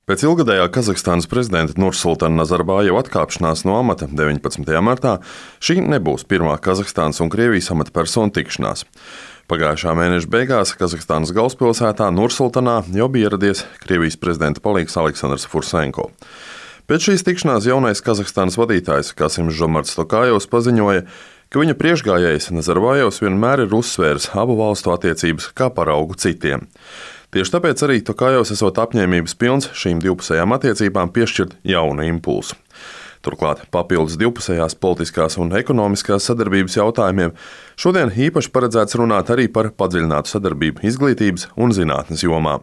Pēc ilgadējā Kazahstānas prezidenta Nursultana Nazarbājeva atkāpšanās no amata 19. martā šī nebūs pirmā Kazahstānas un Krievijas amatpersonu tikšanās. Pagājušā mēneša beigās Kazahstānas galvaspilsētā Nursultanā jau bija ieradies Krievijas prezidenta palīgs Aleksandrs Fursenko. Pēc šīs tikšanās jaunais Kazahstānas vadītājs Kasims Žomarts Tokājevs paziņoja, ka viņa priekšgājējs Nazarbājevs vienmēr ir uzsvērs abu valstu attiecības kā paraugu citiem. Tieši tāpēc arī Tokājevs esot apņēmības pilns šīm divpusējām attiecībām piešķirt jaunu impulsu. Turklāt papildus divpusējās politiskās un ekonomiskās sadarbības jautājumiem šodien īpaši paredzēts runāt arī par padziļinātu sadarbību izglītības un zinātnes jomā.